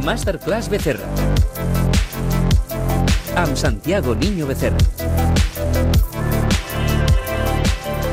Masterclass Becerra. Amb Santiago Niño Becerra.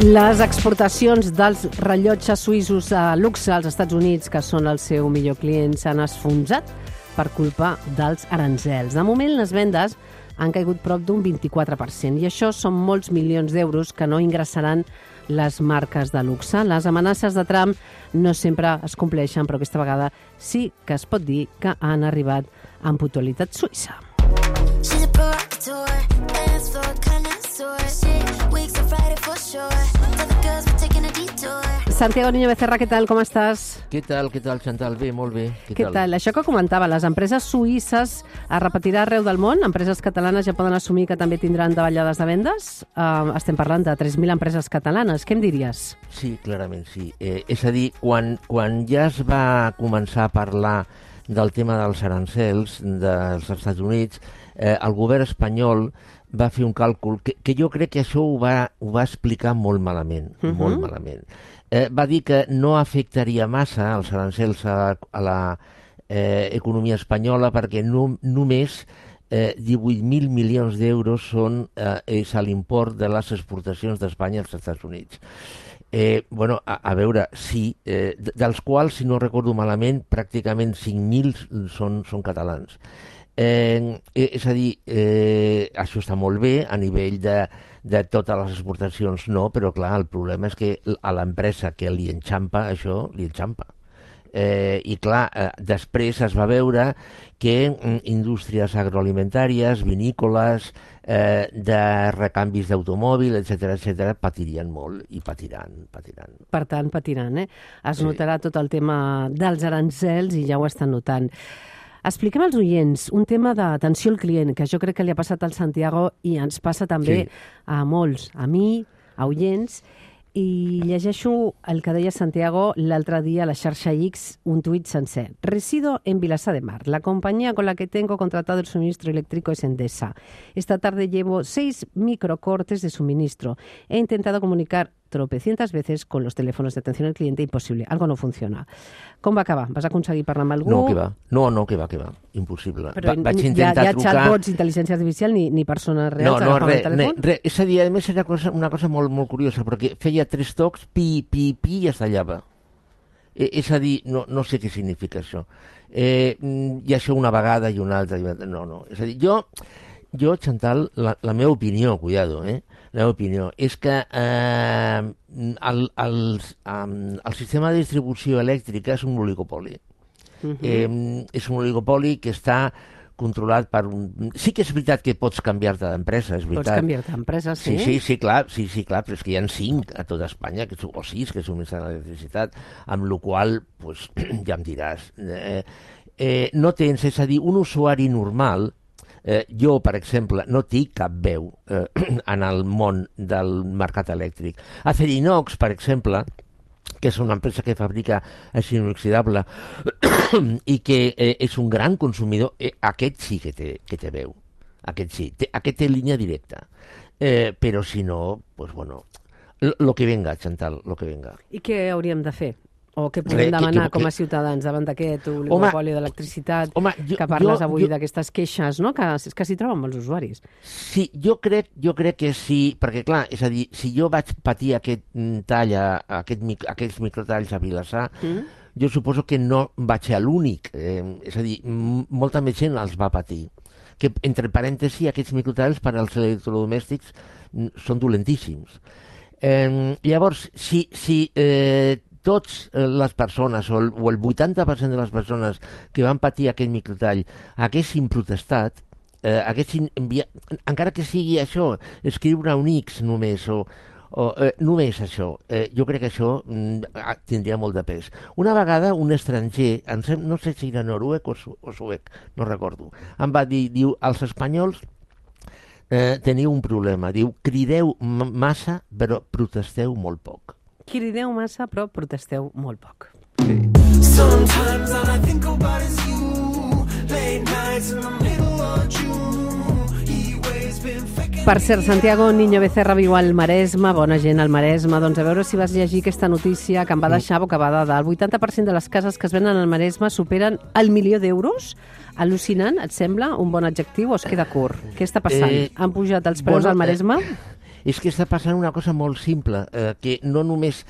Les exportacions dels rellotges suïssos a luxe als Estats Units, que són el seu millor client, s'han esfonsat per culpa dels aranzels. De moment, les vendes han caigut prop d'un 24%, i això són molts milions d'euros que no ingressaran les marques de luxe. Les amenaces de Trump no sempre es compleixen, però aquesta vegada sí que es pot dir que han arribat amb puntualitat suïssa. Santiago Niño Becerra, què tal? Com estàs? Què tal, Chantal? Bé, molt bé. Què tal? Això que comentava, les empreses suïsses es repetirà arreu del món? Empreses catalanes ja poden assumir que també tindran davallades de vendes? Estem parlant de 3.000 empreses catalanes. Què em diries? Sí, clarament sí. És a dir, quan ja es va començar a parlar del tema dels arancels dels Estats Units, el govern espanyol va fer un càlcul que jo crec que això ho va explicar molt malament, molt malament. Va dir que no afectaria massa els arancels a la economia espanyola perquè només 18.000 milions d'euros és l'import de les exportacions d'Espanya als Estats Units. A veure, sí, dels quals, si no recordo malament, pràcticament 5.000 són catalans. És a dir, això està molt bé a nivell de totes les exportacions, no, però clar, el problema és que a l'empresa que li enxampa això, li enxampa. I clar, després es va veure que indústries agroalimentàries, vinícoles, de recanvis d'automòbil, etc., patirien molt i patiran. Per tant, patiran, Es notarà tot el tema dels arancels i ja ho estan notant. Expliquem als oients un tema d'atenció al client, que jo crec que li ha passat al Santiago i ens passa també a molts, a mi, a oients, i llegeixo el que deia Santiago l'altre dia a la xarxa X, un tuit sencer. Resido en Vilassar de Mar. La compañía con la que tengo contratado el suministro eléctrico es Endesa. Esta tarde llevo 6 microcortes de suministro. He intentado comunicar tropecientas veces con los teléfonos de atención al cliente, imposible. Algo no funciona. Com va acabar? Vas aconseguir parlar amb algú? No, que va. Impossible. Però vaig intentar trucar... chatbots, intel·ligència artificial, ni persones reals agafaven el telèfon? És a dir, a més era una cosa molt, molt curiosa, perquè feia 3 tocs, pi, i es tallava. És a dir, no sé què significa això. I això una vegada i una altra. No. És a dir, jo, Chantal, la meva opinió, cuidado, la meva opinió és que el sistema de distribució elèctrica és un oligopoli. És un oligopoli que està controlat per un... Sí que és veritat que pots canviar-te d'empresa, és veritat. Pots canviar-te d'empresa, sí? Sí, clar, però és que hi ha 5 a tota Espanya, o 6 que subministren l'electricitat, amb la qual cosa, ja em diràs. No tens, és a dir, un usuari normal. Jo, per exemple, no tinc cap veu en el món del mercat elèctric. Acerinox, per exemple, que és una empresa que fabrica acer inoxidable i que és un gran consumidor, aquest sí que té veu. Aquest té línia directa. Però si no, pues bueno, lo que venga, Chantal, lo que venga. I què hauríem de fer? O què podem demanar com a ciutadans davant d'aquest oligopoli d'electricitat que parles avui d'aquestes queixes, no? Que s'hi troben molts usuaris. Sí, jo crec que sí, perquè clar, és a dir, si jo vaig patir aquest tall, aquests microtalls a Vilassar, jo suposo que no vaig ser l'únic, és a dir, molta més gent els va patir. Que, entre parèntesis, aquests microtalls per als electrodomèstics són dolentíssims. Llavors, si totes les persones, o el 80% de les persones que van patir aquest microtall haguessin protestat, encara que sigui això, escriure un X només, o només això, jo crec que això tindria molt de pes. Una vegada un estranger, no sé si era noruec o suec, no recordo, em va dir, els espanyols teniu un problema, diu, crideu massa però protesteu molt poc. Crideu massa, però protesteu molt poc. Sometimes all I think about is you. Late nights in the middle of June. He always been faking. Per cert, Santiago Niño Becerra viu al Maresme, bona gent al Maresme. Doncs a veure si vas llegir aquesta notícia que em va deixar bocabadada. El 80% de les cases que es venen al Maresme superen el 1.000.000 d'euros. Al·lucinant, et sembla un bon adjectiu o es queda curt? Què està passant? Han pujat els preus al Maresme? És que està passant una cosa molt simple, que no només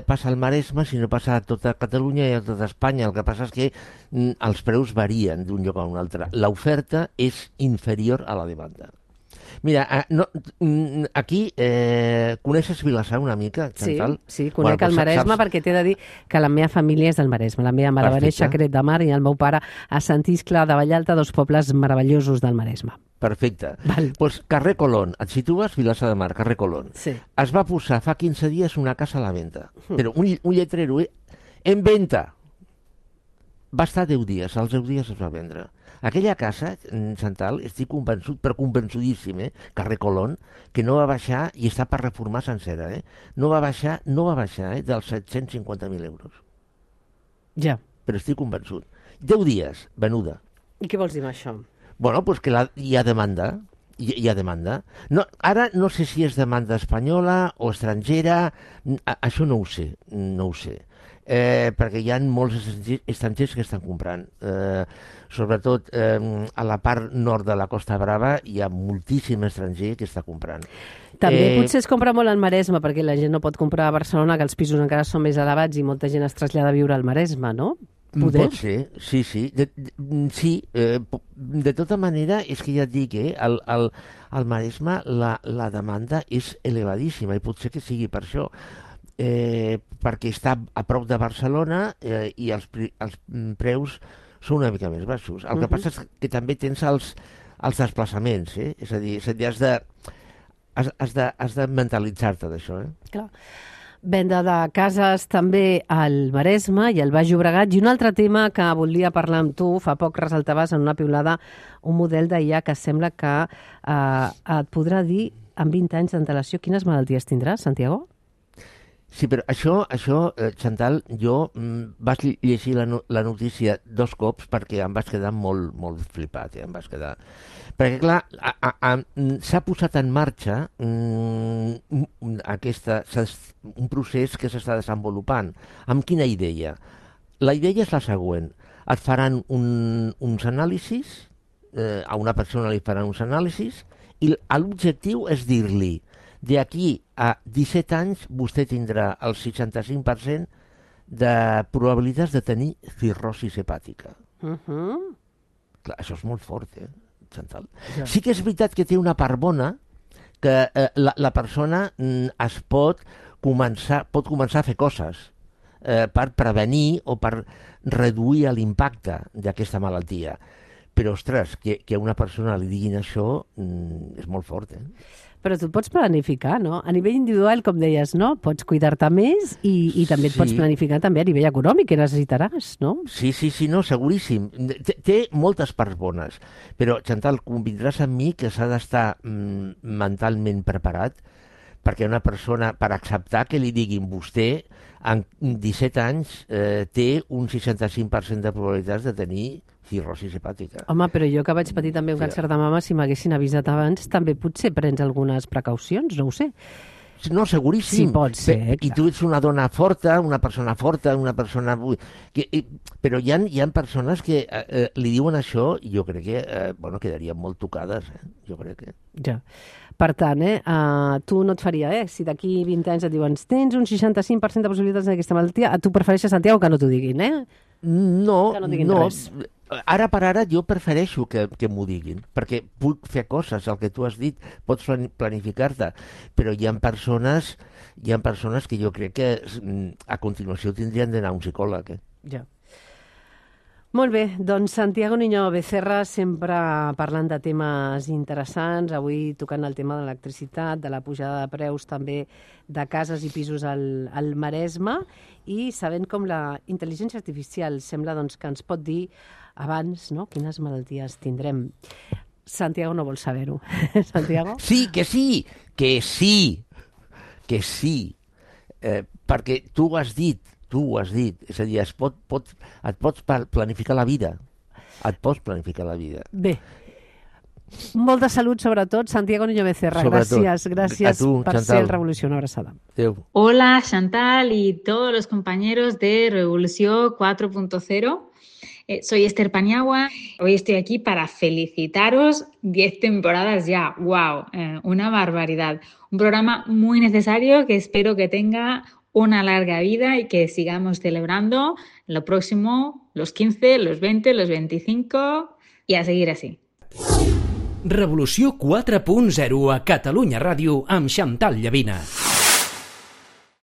passa al Maresme, sinó passa a tota Catalunya i a tota Espanya. El que passa és que els preus varien d'un lloc a un altre. L'oferta és inferior a la demanda. Mira, aquí coneixes Vilassar una mica, Chantal? Sí, conec el Maresme perquè t'he de dir que la meva família és del Maresme. La meva mare va néixer a Canet de Mar i el meu pare a Sant Iscle de Vallalta, dos pobles meravellosos del Maresme. Perfecte. Doncs carrer Colón, et situes Vilassar de Mar, carrer Colón. Sí. Es va posar fa 15 dies una casa a la venda, però un lletrero en venda. Va estar 10 dies, als 10 dies es va vendre. Aquella casa, Chantal, estic convençut, però convençudíssim, carrer Colón, que no va baixar, i està per reformar sencera, no va baixar dels 750.000 euros. Ja. Però estic convençut. 10 dies, venuda. I què vols dir amb això? Bueno, doncs que hi ha demanda. Hi ha demanda. No, ara no sé si és demanda espanyola o estrangera, això no ho sé, perquè hi ha molts estrangers que estan comprant. Sobretot a la part nord de la Costa Brava hi ha moltíssim estranger que està comprant. També potser es compra molt al Maresme, perquè la gent no pot comprar a Barcelona, que els pisos encara són més elevats i molta gent es trasllada a viure al Maresme, no? Poder? Pot ser, sí. De tota manera, és que ja et dic, al Maresme la demanda és elevadíssima i potser que sigui per això. Perquè està a prop de Barcelona i els preus són una mica més baixos. El que passa és que també tens els desplaçaments, és a dir, has de mentalitzar-te d'això. Clar. Venda de cases també al Maresme i al Baix Llobregat. I un altre tema que volia parlar amb tu, fa poc ressaltaves en una piulada un model d'IA que sembla que et podrà dir en 20 anys d'antelació quines malalties tindràs, Santiago? Sí, però això, Chantal, jo vaig llegir la notícia 2 cops perquè em vaig quedar molt flipat, em vaig quedar... Perquè, clar, s'ha posat en marxa un procés que s'està desenvolupant. Amb quina idea? La idea és la següent. Et faran uns anàlisis, a una persona li faran uns anàlisis, i l'objectiu és dir-li d'aquí a 17 anys vostè tindrà el 65% de probabilitats de tenir cirrosis hepàtica. Clar, això és molt fort, Chantal. Ja. Sí que és veritat que té una part bona, que la persona pot començar a fer coses per prevenir o per reduir l'impacte d'aquesta malaltia. Però, ostres, que a una persona li diguin això és molt fort, Però tu et pots planificar, no? A nivell individual, com deies, no? Pots cuidar-te més i també et pots planificar també a nivell econòmic, que necessitaràs, no? Sí, no, seguríssim. Té moltes parts bones, però, Chantal, convindràs amb mi que s'ha d'estar mentalment preparat perquè una persona, per acceptar que li diguin vostè, en 17 anys té un 65% de probabilitats de tenir cirrosis hepàtica. Home, però jo que vaig patir també un càncer de mama, si m'haguessin avisat abans, també potser prens algunes precaucions, no ho sé. No, seguríssim. Sí, pot ser, I tu ets una dona forta, una persona forta, una persona... Però hi ha persones que li diuen això i jo crec que quedarien molt tocades, jo crec que... Ja. Per tant, tu no et faria, si d'aquí 20 anys et diuen tens un 65% de possibilitats d'aquesta malaltia, tu prefereixes, Santiago, que no t'ho diguin, No, que no diguin res. Ara per ara jo prefereixo que m'ho diguin, perquè puc fer coses, el que tu has dit, pots planificar-te, però hi ha persones que jo crec que a continuació tindrien d'anar a un psicòleg. Ja. Molt bé, doncs Santiago Niño Becerra sempre parlant de temes interessants, avui tocant el tema de l'electricitat, de la pujada de preus també de cases i pisos al Maresme i sabent com la intel·ligència artificial sembla doncs, que ens pot dir abans quines malalties tindrem. Santiago no vol saber-ho. Santiago? Sí, que sí. Perquè tu ho has dit, és a dir, et pots planificar la vida. Bé. Molta salut, sobretot. Santiago Niño Becerra, gràcies A tu, per Chantal. ser el Revolució. Una abraçada. Adéu. Hola Chantal y todos los compañeros de Revolución 4.0. Soy Esther Paniagua. Hoy estoy aquí para felicitaros 10 temporadas ya. ¡Wow! Una barbaridad. Un programa muy necesario que espero que tenga una larga vida y que sigamos celebrando lo próximo, los 15, los 20, los 25 y a seguir así. Revolució 4.0 a Catalunya Ràdio amb Chantal Llavina.